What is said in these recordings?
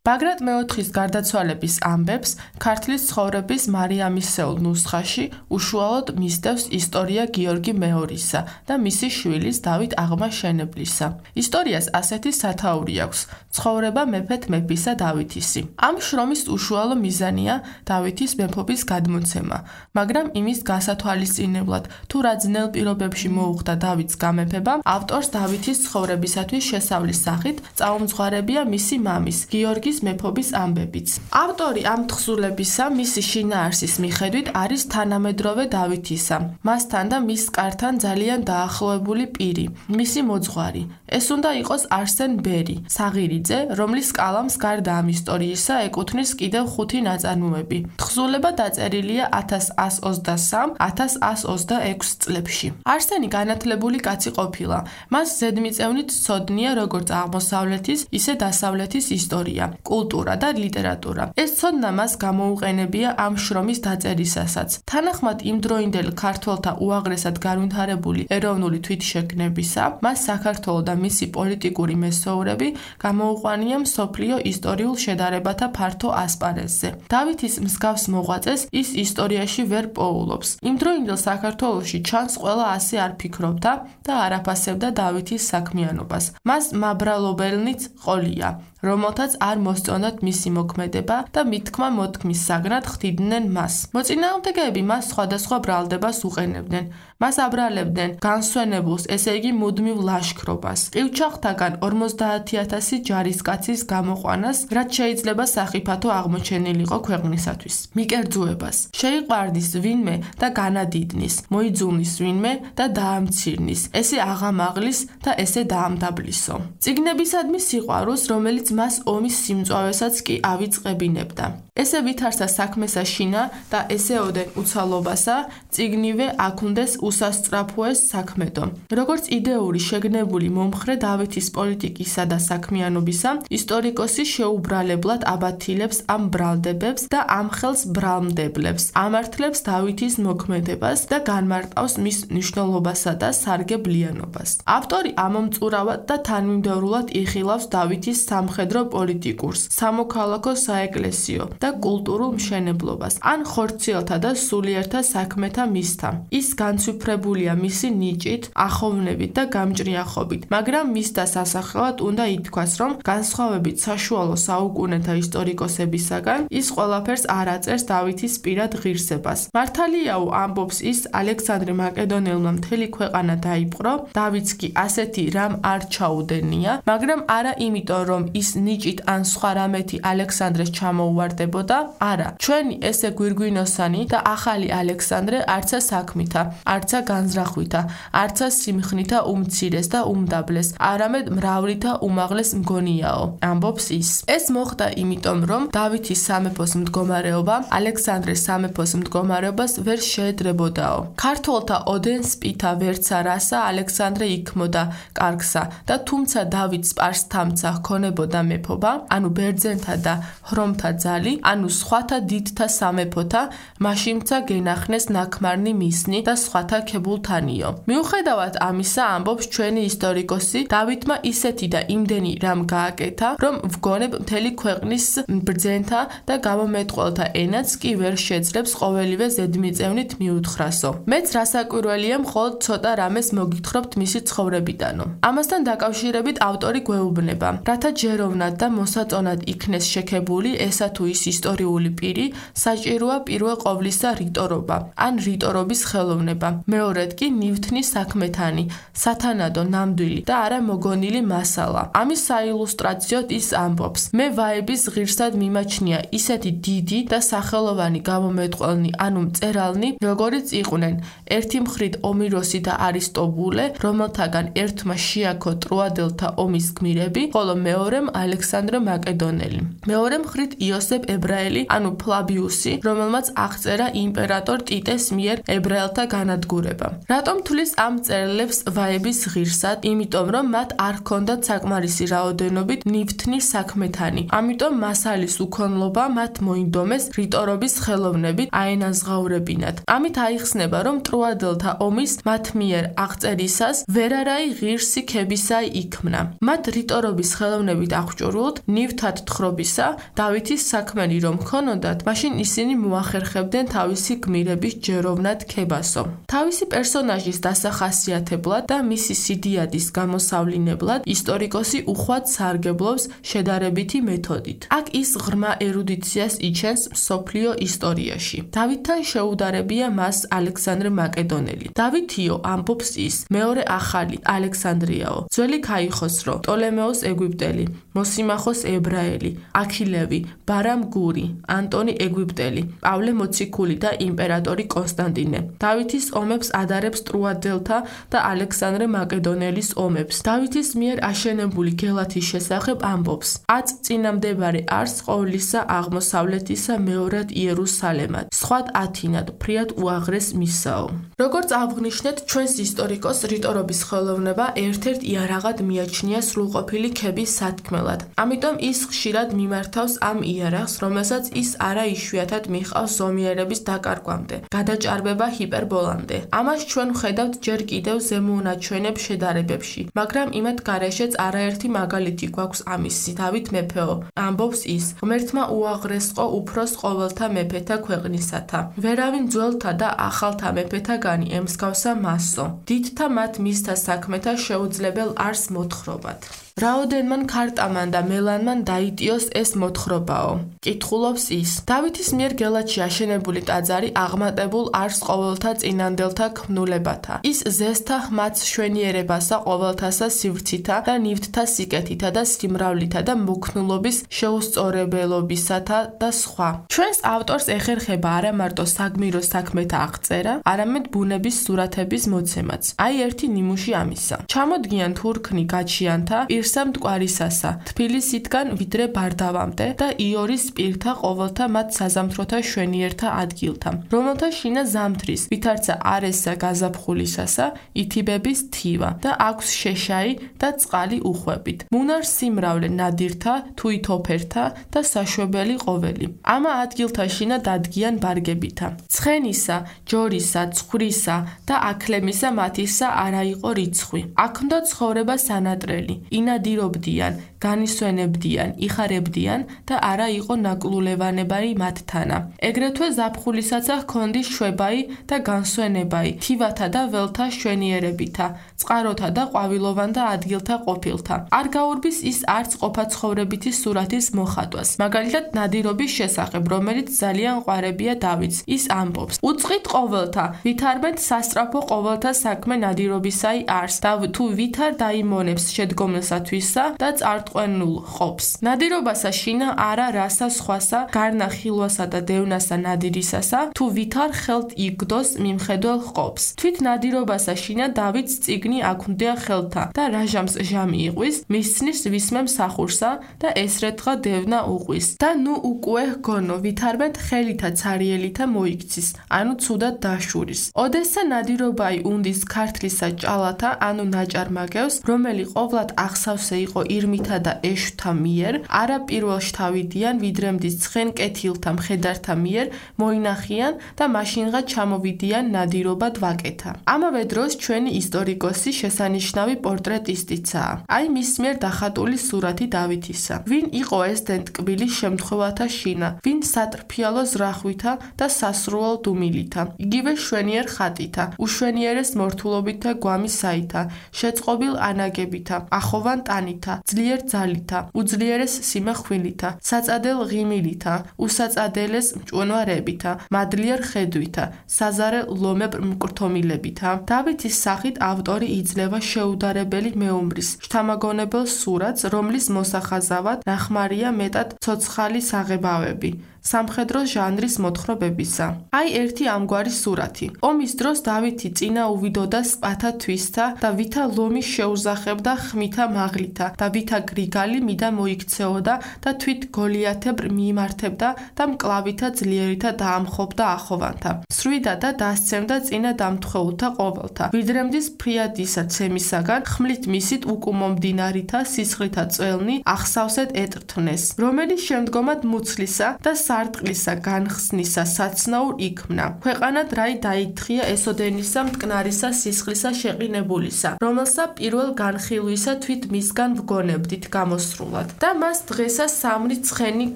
ბაგრატ მეოთხის გარდაცვალების ამბებს ქართლის ცხოვრების მარიამისეულ ნუსხაში უშუალოდ მისდევს ისტორია გიორგი მეორისა და მისი შვილის დავით აღმაშენებლისა. ისტორიას ასეთი სათაური აქვს: ცხოვრება მეფეთ მეფისა დავითისი. ამ შრომის უშუალო მიზანია დავითის მეფობის გადმოცემა, მაგრამ იმის გასათვალისწინებლად, თუ რა ძნელ პირობებში მოუხდა დავითს გამეფება, ავტორს დავითის ცხოვრებისათვის შესავლის სახით წაუმძღვარებია მისი მამის გიორგის მეფობის ამბებიც. ავტორი ამ თხზულებისა მისი შინაარსის მიხედვით არის თანამედროვე დავითისა, მასთან და მის კართან ძალიან დაახლოებული პირი, მისი მოძღვარი. ეს უნდა იყოს არსენ ბერი, საღირიძე, რომლის კალამს გარდა ამ ისტორიისა ეკუთვნის კიდევ 5 ნაწარმოები. თხზულება დაწერილია 1123-1126 წლებში. არსენი განათლებული კაცი ყოფილა. მას ზედმიწევნით სცოდნია როგორც აღმოსავლეთის, ისე დასავლეთის ისტორია, კულტურა და ლიტერატურა. ეს ცოდნა მას გამოუყენებია ამ შრომის დაწერისასაც. თანახმად იმდროინდელ ქართველთა უაღრესად განვითარებული ეროვნული თვითშეგნებისა, მას საქართველო და მისი პოლიტიკური მესოურები გამოუყვანია მსოფლიო ისტორიულ შედარებათა ფართო ასპარეზზე. დავითის მსგავს მოღვაწეს ის ისტორიაში ვერ პოულობს. იმდროინდელ საქართველოში ჩანს ყველა ასე არ ფიქრობდა და არ აფასებდა დავითის საქმიანობას. მას მაბრალობელნიც ყოლია, რომელთაც არ მოსწონდათ მისი მოქმედება და მითქმა მოთქმის საგნად ხდიდნენ მას. მოწინააღმდეგეები მას სხვადასხვა ბრალდებას უყენებდნენ. მას აბრალებდნენ განსვენებულს, ესე იგი მუდმივ ლაშქრობას, ყივჩახთაგან 50,000 ჯარისკაცის გამოყვანას, რაც შეიძლება სახიფათო აღმოჩენილიყო ქვეყნისათვის, მიკერძუებას, შეიყვარდის ვინმე და განადიდნის, მოიძულნის ვინმე და დაამცირნის, ესე აღამაღლის და ესე დაამდაბლისო. წიგნებისადმი სიყვარულს, რომელიც მას ომის სიმწვავესაც კი ავიწყებინებდა. ესე ვითარცა საქმესა შინა და ესეოდენ უცალობასა, წიგნივე აქუნდეს უსასწრაფოეს საქმედო. როგორც იდეური შეგნებული მომხრე დავითის პოლიტიკისა და საქმიანობისა, ისტორიკოსი შეუბრალებლად აბათილებს ამ ბრალდებებს და ამხელს ბრალმდებლებს, ამართლებს დავითის მოქმედებას და განმარტავს მის მნიშვნელობასა და სარგებლიანობას. ავტორი ამომწურავად და თანმიმდევრულად იხილავს დავითის სამხედრო პოლიტიკურს, სამოქალაქო საეკლესიო და კულტურულ მშენებლობას, ან ხორციელთა და სულიერთა საქმეთა მისთა. ის განცვიფრებულია მისი ნიჭით, ახოვნებით და გამჭრიახობით, მაგრამ მისთა სასახელად უნდა ითქვას, რომ განსხვავებით საშუალო საუკუნეთა ისტორიკოსებისაგან, ის ყველაფერს არ აწერს დავითის პირად ღირსებას. მართალიაო, ამბობს ის, ალექსანდრე მაკედონელმა მთელი ქვეყანა დაიპყრო, დავითს კი ასეთი რამ არ ჩაუდენია, მაგრამ არა იმიტომ, რომ ის ნიჭით ან სხვა რამეთი ალექსანდრეს ჩამოუვარდებოდა, არა, ჩვენი ესე გვირგვინოსანი და ახალი ალექსანდრე არცა საქმითა, არცა განზრახვითა, არცა სიმხნითა უმცირეს და უმდაბლეს, არამედ მრავლითა უმაღლეს მგონიაო, ამბობს ის. ეს მოხდა იმიტომ, რომ დავითის სამეფოს მდგომარეობა ალექსანდრეს სამეფოს მდგომარეობას ვერ შეედრებოდაო. ქართველთა ოდენ სპითა ვერცა რასა ალექსანდრე იქმოდა კარგსა და თუმცა დავით სპარსთამცა ჰქონებოდა მეფობა, ანუ ბერძენთა და ჰრომთა ძალი, ანუ სხვათა დიდთა სამეფოთა, მაშინცა გენახნეს ნაქმარნი მისნი და სხვათა ქებულთანიო. მიუხედავად ამისა, ამბობს ჩვენი ისტორიკოსი, დავითმა ისეთი და იმდენი რამ გააკეთა, რომ ვგონებ მთელი ქვეყნის ბრძენთა და გამომეტყველთა ენაც კი ვერ შეძლებს ყოველივე ზედმიწევნით მიუთხრასო. მეც რასაკვირველია მხოლოდ ცოტა რამეს მოგითხრობთ მისი ცხოვრებიდანო. ამასთან დაკავშირებით ავტორი გვეუბნება, რათა ჯეროვნად და მოსაწონად იქნეს შექებული ესა თუ ის ისტორიული პირი, საჭიროა პირველ ყოვლისა რიტორობა, ან რიტორობის ხელოვნება, მეორედ კი ნივთნის საქმეთანი, სათანადო ნამდვილი და არა მოგონილი მასალა. ამის საილუსტრაციოდ ის ამბობს, მე ვაების ღირსად მიმაჩნია ისეთი დიდი და სახელოვანი გამომეტყველნი, ანუ მწერალნი, როგორიც იყვნენ ერთი მხრით ომიროსი და არისტობულე, რომელთაგან ერთმა შეაქო ტროადელთა ომის გმირები, ხოლო მეორემ ალექსანდრე მაკედონელი. მეორე მხრით იოსებ ებრაელი, ანუ ფლავიუსი, რომელმაც აღწერა იმპერატორ ტიტეს მიერ ებრაელთა განადგურება. რატომ თulis ამ მწერლებს ვაების ღირსად? იმიტომ, რომ მათ არ ჰქონდათ საკმარისი რაოდენობით ნივთნის საქმეთანი. ამიტომ მასალის უქონლობა მათ მოინდომეს რიტორობის ხელოვნებით აენაზღაურებინათ. ამით აიხსნება, რომ ტროადელთა ომის მათ მიერ აღწერისას ვერარაი ღირსი ქებისაი იქმნა. მათ რიტორობის ხელოვნებით აღჭურვილთ ნივთად თხრობისა დავითის საქმენი რომ ჰქონოდათ, მაშინ ისინი მოახერხებდნენ თავისი გმირების ჯეროვნად ქებასო. თავისი პერსონაჟის დასახასიათებლად და მისი სიდიადის გამოსავლინებლად ისტორიკოსი უხვად სარგებლობს შედარებითი მეთოდით. აქ ის ღრმა ერუდიციას იჩენს მსოფლიო ისტორიაში. დავითთან შეუდარებია მას ალექსანდრე მაკედონელი. დავითიო ამბობს ის, მეორე ახალი ალექსანდრიაო, ძველი ქაიხოსრო, ტოლემეოს ეგვიპტელი, მოსიმახოს ებრაელი, აქილევი, ბარამ გური, ანტონი ეგვიპტელი, პავლე მოციქული და იმპერატორი კონსტანტინე. დავითის ომებს ადარებს ტრუადელთა და ალექსანდრე მაკედონელის ომებს. დავითის მიერ აშენებული გელათის შესახებ ამბობს: აწ წინამდებარე არს ყოვლისა აღმოსავლეთისა მეორად იერუსალემად, სხვად ათინად, ფრიად უაღრეს მისაო. როგორც აღვნიშნეთ, ჩვენს ისტორიკოს რიტორობის ხელოვნება ერთ-ერთ იარაღად მიაჩნია სრულყოფილი ქების სათქმელად. ამიტომ ის ხშირად მიმართავს ამ იარაღს, რომელსაც ის არა იშვიათად მიჰყავს ზომიერების დაკარგვამდე, გადაჭარბება ჰიპერბოლამდე. ამას ჩვენ ვხედავთ ჯერ კიდევ ზემოუნაჩვენებ შედარებებში, მაგრამ იმათ გარეშეც არაერთი მაგალითი გვაქვს ამისი. დავით მეფეო, ამბობს ის, ღმერთმა უაღრესყო უფროს ყოველთა მეფეთა ქვეყნისათა. ვერავინ ძველთა და ახალთა მეფეთაგანი ემსგავსა მასო. დიდთა მათ მისთა საქმეთა შეუძლებელ არს მოთხრობად. რაოდენმან ქარტამან და მელანმან დაიტიოს ეს მოთხრობაო. კითხულობს ის. დავითის მიერ გელათში აშენებული ტაძარი აღმატებულ არს ყოველთა წინანდელთა ქმნულებათა. ის ზესთა ხმაც შვენიერებასა ყოველთასა სივრცითა და ნივთთა სიკეთითა და სიმრავლითა და მოქნულობის შეუსწორებელობისათა და სხვა. ჩვენს ავტორს ეხერხება არა მარტო საგმირო საქმეთა აღწერა, არამედ ბუნების სურათების მოცემაც. აი ერთი ნიმუში ამისა. ჩამოდგიან თურქნი გაჩიანთა პირსა მტკვარისასა, თბილისიდან ვიდრე ბარდავამდე და იორის პირთა ყოველთა მათ საზამთროთა შვენიერთა ადგილთა, რომელთა შინა ზამთრის, ვითარცა არესა გაზაფხულისასა, ითიბების თივა და აქვს შეშაი და წყალი უხვებით. მუნარ სიმრავლე ნადირთა, თუითოფერთა და საშვებელი ყოველი. ამა ადგილთა შინა დადგიან ბარგებითა. ცხენისა, ჯორისა, ცხვრისა და აქლემისა მათისა არა იყო რიცხვი. აქ-ნდა ცხოვრება სანატრელი. ინადირობდიან, განისვენებდიან, იხარებდიან და არა იყო ნაკლულევანებარი მათთანა. ეგრეთვე ზაფხულისაცა ჰქონდის შვებაი და განსვენებაი, თივათა და ველთა შვენიერებითა, წყაროთა და ყვავილოვან და ადგილთა ყოფილთა. არ გაურბის ის არც ყოფაცხოვრებითი სურათის მოხატვას. მაგალითად ნადირობის შესახებ, რომელიც ძალიან ყვარებია დავითს. ის ამბობს: უწყით ყოველთა, ვითარმეთ სასწრაფო ყოველთა საქმე ნადირობისაი არს და თუ ვითარ დაიმონებს შედგომილსათვისა და წარტყვენულ ყოფს. ნადირობასა შინა არა რასა სხვასა, გარნა ხილვასა და დევნასა ნადირისასა, თუ ვითარ ხელთ იგდოს მიმხედველ ყოფს. თვით ნადირობასა შინა დავითს წიგნი აქვთ ხელთა და რაჟამს ჟამი იყვის, მისცნის ვისმე მსახურსა და ესრეთხა დევნა უყვის. და ნუ უკუე ჰგონო, ვითარმეთ ხელითა ცარიელითა მოიქცის, ანუ ცუდად დაშურის. ოდესა ნადირობაი უნდის ქართლისა ჭალათა, ანუ ნაჭარმაგევს, რომელი ყოვლად ახსავსე იყო ირმითა და ეშვთა მიერ, არა პირველ შთავიდიან, ვიდრე მდის ცხენ კეთილთა მხედართა მიერ მოინახიან და მაშინღა ჩამოვიდიან ნადირობად ვაკეთა. ამავე დროს ჩვენი ისტორიკოსი შესანიშნავი პორტრეტისტიცაა. აი მის მიერ დახატული სურათი დავითისა. ვინ იყო ეს დენტკბილი შემთხვევათა შინა, ვინ სატრფიალო ზრახვითა და სასრუალ დუმილითა, იგივე შვენიერ ხატითა, უშვენიერეს მორთულობით და გვამისაითა, შეწყობილ ანაგებითა, ახოვან ტანითა, ძლიერ ძალითა, უძლიერეს სიმახვილითა, საწადელ ღიმილითა, უსაწადელეს მჭვენვარებითა, მადლიერ ხედვითა, საზარე ლომებ მკრთომილებითა. დავითის სახით ავტორი იძლევა შეუდარებელი მეომრის შთამაგონებელ სურათს, რომლის მოსახაზავად ნახმარია მეტად ცოცხალი საღებავები. სამხედრო ჟანრის მოთხრობებისა. აი ერთი ამგვარი სურათი. ომის დროს დავითი წინა უვიდოდა სპათა თვისთა და ვითა ლომი შეუზახებდა ხმითა მაღლითა და ვითა გრიგალი მიდა მოიქცეოდა და თვით გოლიათებრ მიიმართებდა და მკლავითა ძლიერითა დაამხობდა ახოვანთა. სრვიდა და დასცემდა წინა დამთხეულთა ყოველთა. ვიდრემდის ფრიადისა ცემისაგან ხმლით მისით უკუმომდინარითა სისხლითა წველნი ახსავსეთ ეტრთნეს, რომელიც შემდგომად მუცლისა და სარტყლისა განხსნისა საცნაურ იქმნა. ქვეყანად რაი დაითხრია ესოდენისა მტკნარისა სისხლისა შეყინებულისა, რომელსა პირველ განხილვისა თვით მის მისგან ვგონებდით გამოსრულად და მას დღესა 3 ცხენი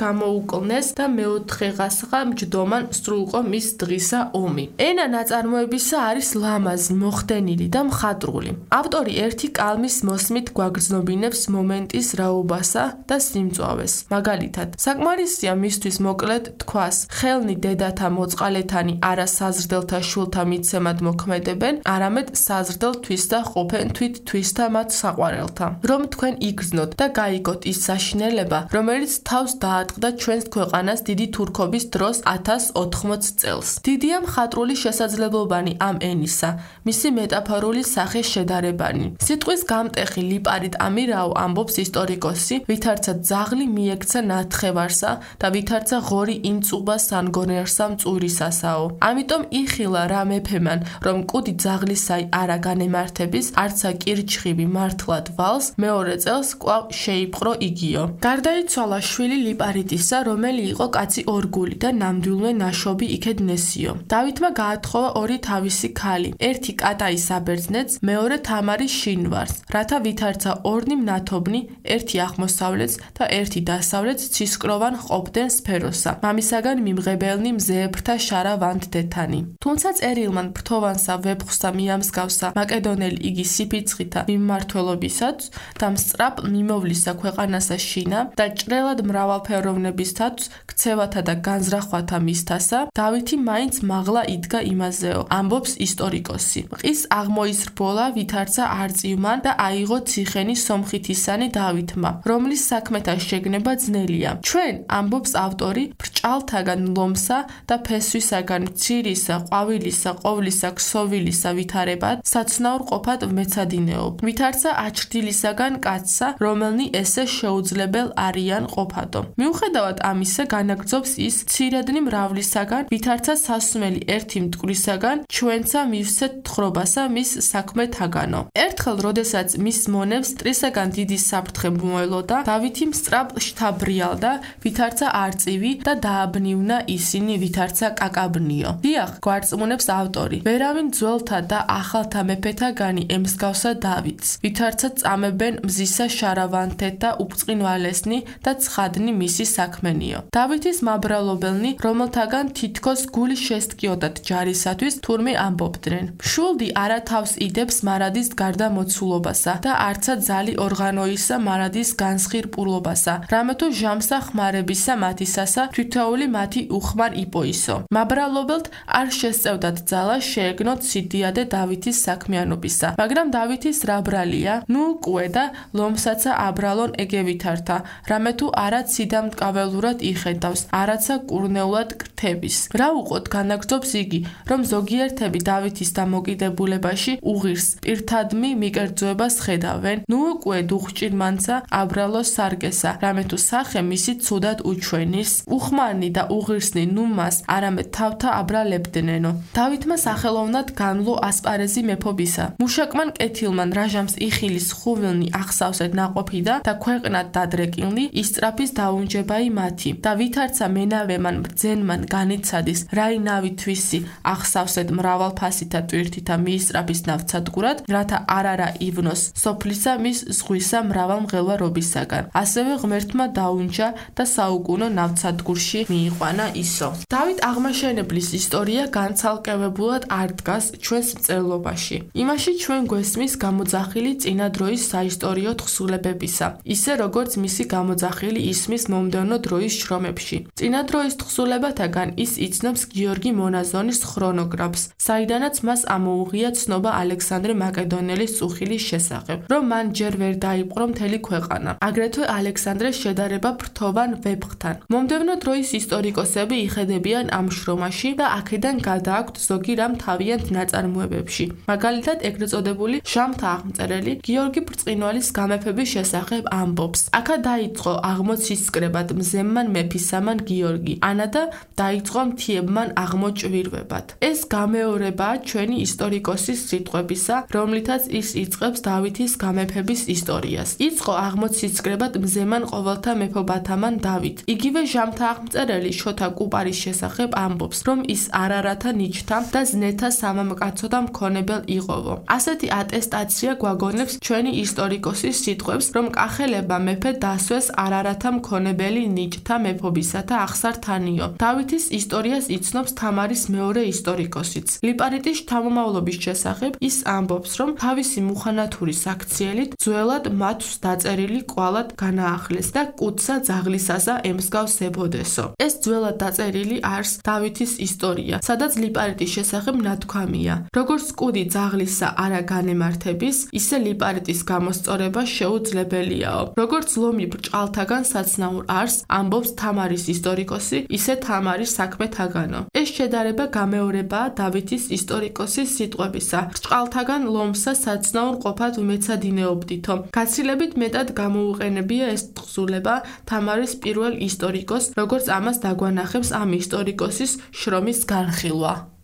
გამოუკლნეს და მეოთხეღასღა მჯდომან სრულყო მის დღისა ომი. ენა ნაწარმოებისა არის ლამაზი, მოხდენილი და მხატვრული. ავტორი ერთი კალმის მოსმით გვაგრძნობინებს მომენტის რაობასა და სიმწვავეს. მაგალითად, საკმარისია მისთვის მოკლედ თქვას, ხელნი დედათა მოწყალეთანი არა საზრდელთა შულთა მიცემად მოქმედებენ, არამედ საზრდელ თვისდა ყოფენ თვით თვისდა მათ საყვარელთა. რომ თქვენ იგრძნოთ და გაიგოთ ის საშინელება, რომელიც თავს დაატყდა ჩვენს ქვეყანას დიდი თურქობის დროს 1080 წელს. დიდია მხატვრული შესაძლებლობანი ამ ენისა, მისი მეტაფორული სახე შედარებანი. სიტყვის გამტეხი ლიპარიტ ამირაო ამბობს ისტორიკოსი, ვითარცა ძაღლი მიექცა ნათხევარსა და ვითარცა ღორი იმწუბა სანგონერსა მწურისასაო. ამიტომ იხილა რა მეფემან, რომ კუდი ძაღლისაი არა განემართების, არცა კირჩხიბი მართლად ვალს, მეორე წელს კვლავ შეიპყრო იგიო. გარდაიცვალა შვილი ლიპარიტისა, რომელი იყო კაცი ორგული და ნამდვილმე ნაშობი იქედნესიო. დავითმა გაათხოვა 2 თავისი ქალი, ერთი კატაის აბერძნეთს, მეორე თამარის შინვარს, რათა ვითარცა ორნი მნათობნი, ერთი აღმოსავლეთს და ერთი დასავლეთს ცისკროვან ყოფდნენ სფეროსა. მამისაგან მიმღებელნი მზეებრთა შარა ვანდდეთანი. თუმცა წერილმან ფრთოვანსა ვეფხვსა მიამსგავსა მაკედონელი იგი სიფიცხითა მიმმართველობისაც და მსწრაფ მიმოვლისა ქვეყანასა შინა და ჭრელად მრავალფეროვნებისთაც ქცევათა და განზრახვათა მისთასა, დავითი მაინც მაღლა იდგა იმაზეო, ამბობს ისტორიკოსი. ყის აღმოისრბოლა ვითარცა არწივმან და აიღო ციხენი სომხითისანი დავითმა, რომლის საქმეთა შეგნება ძნელია. ჩვენ, ამბობს ავტორი, ბრჭალთაგან ლომსა და ფესვისაგან მცირისა, ყვავილისა, ყოვლისა, ქსოვილისა ვითარებად, საცნაურ ყოფად ვმეცადინეობ. ვითარცა აჩრდილისაგან კაცსა, რომელნი ესე შეუძლებელ არიან ყოფადო. მიუხედავად ამისა, განაგრძობს ის ცირედნი მრავლისაგან, ვითარცა სასმელი ერთი მტკვრისაგან, ჩვენცა მივსეთ თხრობასა მის საქმეთაგანო. ერთხელ, როდესაც მის მონებს ტრისაგან დიდი საფრთხე მოელოდა, დავითი მსწრაფ შთაბრიალდა, ვითარცა არწივი და დააბნიუნა ისინი, ვითარცა კაკაბნიო. დიახ, გვარწმუნებს ავტორი, ვერავინ ძველთა და ახალთა მეფეთაგანი ემსგავსა დავითს, ვითარცა წამებენ მზისა შარავანთეთ და უბწყინვალესნი და ცხადნი მისი საქმენიო. დავითის მაბრალობელნი, რომელთაგან თითქოს გული შესტკიოდათ ჯარისათვის, თურმე ამბობდნენ. შულდი არა თავს იდებს მარადის გარდამოცულობასა და არცა ძალი ორღანოისა მარადის განსხირპულობასა, რამე თუ ჟამსა ხმარებისა მათისასა თითოეული მათი უხმარ იპოისო. მაბრალობელთ არ შესწევდათ ძალა შეეგნოთ სიდიადე დავითის საქმიანობისა, მაგრამ დავითის რა ბრალია, ნუ კუე და ლომსაცა აბრალონ ეგევითართა, რამე თუ არა ციდამტკაველურად იხედავს, არაცა კურნეულად კრთების. რა უყოთ განაგრძობს იგი, რომ ზოგიერთები დავითის დამოკიდებულებაში უღირს პირთადმი მიკერძოებას ხედავენ, ნუ კუე დუხჭირმანცა აბრალოს სარგესა, რამე თუ სახე მისი ცუდად უჩვენის, უხმარნი და უღირსნი ნუ მას არამედ თავთა აბრალებდნენო. დავითმა სახელოვნად განვლო ასპარეზი მეფობისა. მუშაკმან კეთილმან რაჟამს იხილის ხუვილნი ახსავსეთ ნაყოფიდა და ქვეყნად დადრეკილნი ისწრაფის დაუნჯებაი მათი და ვითარცა მენავემან ბრძენმან განიცადის რაინავი თვისი ახსავსეთ მრავალფასითა ტვირთითა მიისწრაფის ნავცადგურად, რათა არარა ივნოს სოფლისა მის ზღვისა მრავალ მღელვარობისაგან. ასევე ღმერთმა დაუნჯა და საუკუნო ნავცადგურში მიიყვანა ისო. დავით აღმაშენებლის ისტორია განცალკევებულად არ დგას ჩვენს მწერლობაში. იმაში ჩვენ გვესმის გამოძახილი წინა დროის საისტორიო თხზულებებისა, ისე როგორც მისი გამოძახილი ისმის მომდევნო დროის შრომებში. წინა დროის თხზულებათაგან ის იცნობს გიორგი მონაზონის ხრონოგრაფს, საიდანაც მას ამოუღია ცნობა ალექსანდრე მაკედონელის წუხილის შესახებ, რომ მან ჯერ ვერ დაიპყრო მთელი ქვეყანა. აგრეთვე ალექსანდრეს შედარება ფრთოვან ვეფხთან. მომდევნო დროის ისტორიკოსები იხედებიან ამ შრომაში და აქედან გადააქვთ ზოგი რამ თავიანთ ნაწარმოებებში. მაგალითად, ეგრეთ წოდებული ჟამთა აღმწერელი გიორგი ბრწყინვალის გამეფების შესახებ ამბობს. აქა დაიწყო აღმოცისკრებად მზემმან მეფისამან გიორგი, ანა და დაიწყო მთიებმან აღმოჭვირვებად. ეს გამეორებაა ჩვენი ისტორიკოსის სიტყვებისა, რომლითაც ის იწყებს დავითის გამეფების ისტორიას. იწყო აღმოცისკრებად მზემან ყოველთა მეფობათამან დავით. იგივე ჟამთა აღმწერელი შოთა კუპარის შესახებ ამბობს, რომ ის არარათა ნიჩთა და ზნეთა სამამკაცო და მქონებელ იყოვო. ასეთი ატესტაცია გვაგონებს ჩვენი ისტორიკოსის სიტყვებს, რომ კახელებმა მეფე დასვეს არარათა მქონებელი ნიჭთა მეფობისათა ახსართანიო. დავითის ისტორიას იცნობს თამარის მეორე ისტორიკოსიც. ლიპარიტის შთამომავლობის შესახებ ის ამბობს, რომ თავისი მუხანათური საქციელით ძველად მათს დაწერილი კვალად განაახლეს და კუცა ძაღლისასა ემსგავსებოდესო. ეს ძველად დაწერილი არს დავითის ისტორია, სადაც ლიპარიტის შესახებ ნათქვამია. როგორც კუდი ძაღლისა არა განემართების, ისე ლიპარიტის გამოსწორება შეუძლებელიაო. როგორც ლომი ბრჭყალთაგან საცნაურ არს, ამბობს თამარის ისტორიკოსი, ისე თამარის საქმეთაგანო. ეს შედარება გამეორებაა დავითის ისტორიკოსის სიტყვებისა. ბრჭყალთაგან ლომსა საცნაურ ყოფად ვმეცადინეობდითო. გაცილებით მეტად გამოუყენებია ეს თხზულება თამარის პირველ ისტორიკოს, როგორც ამას დაგვანახებს ამ ისტორიკოსის შრომის განხილვა.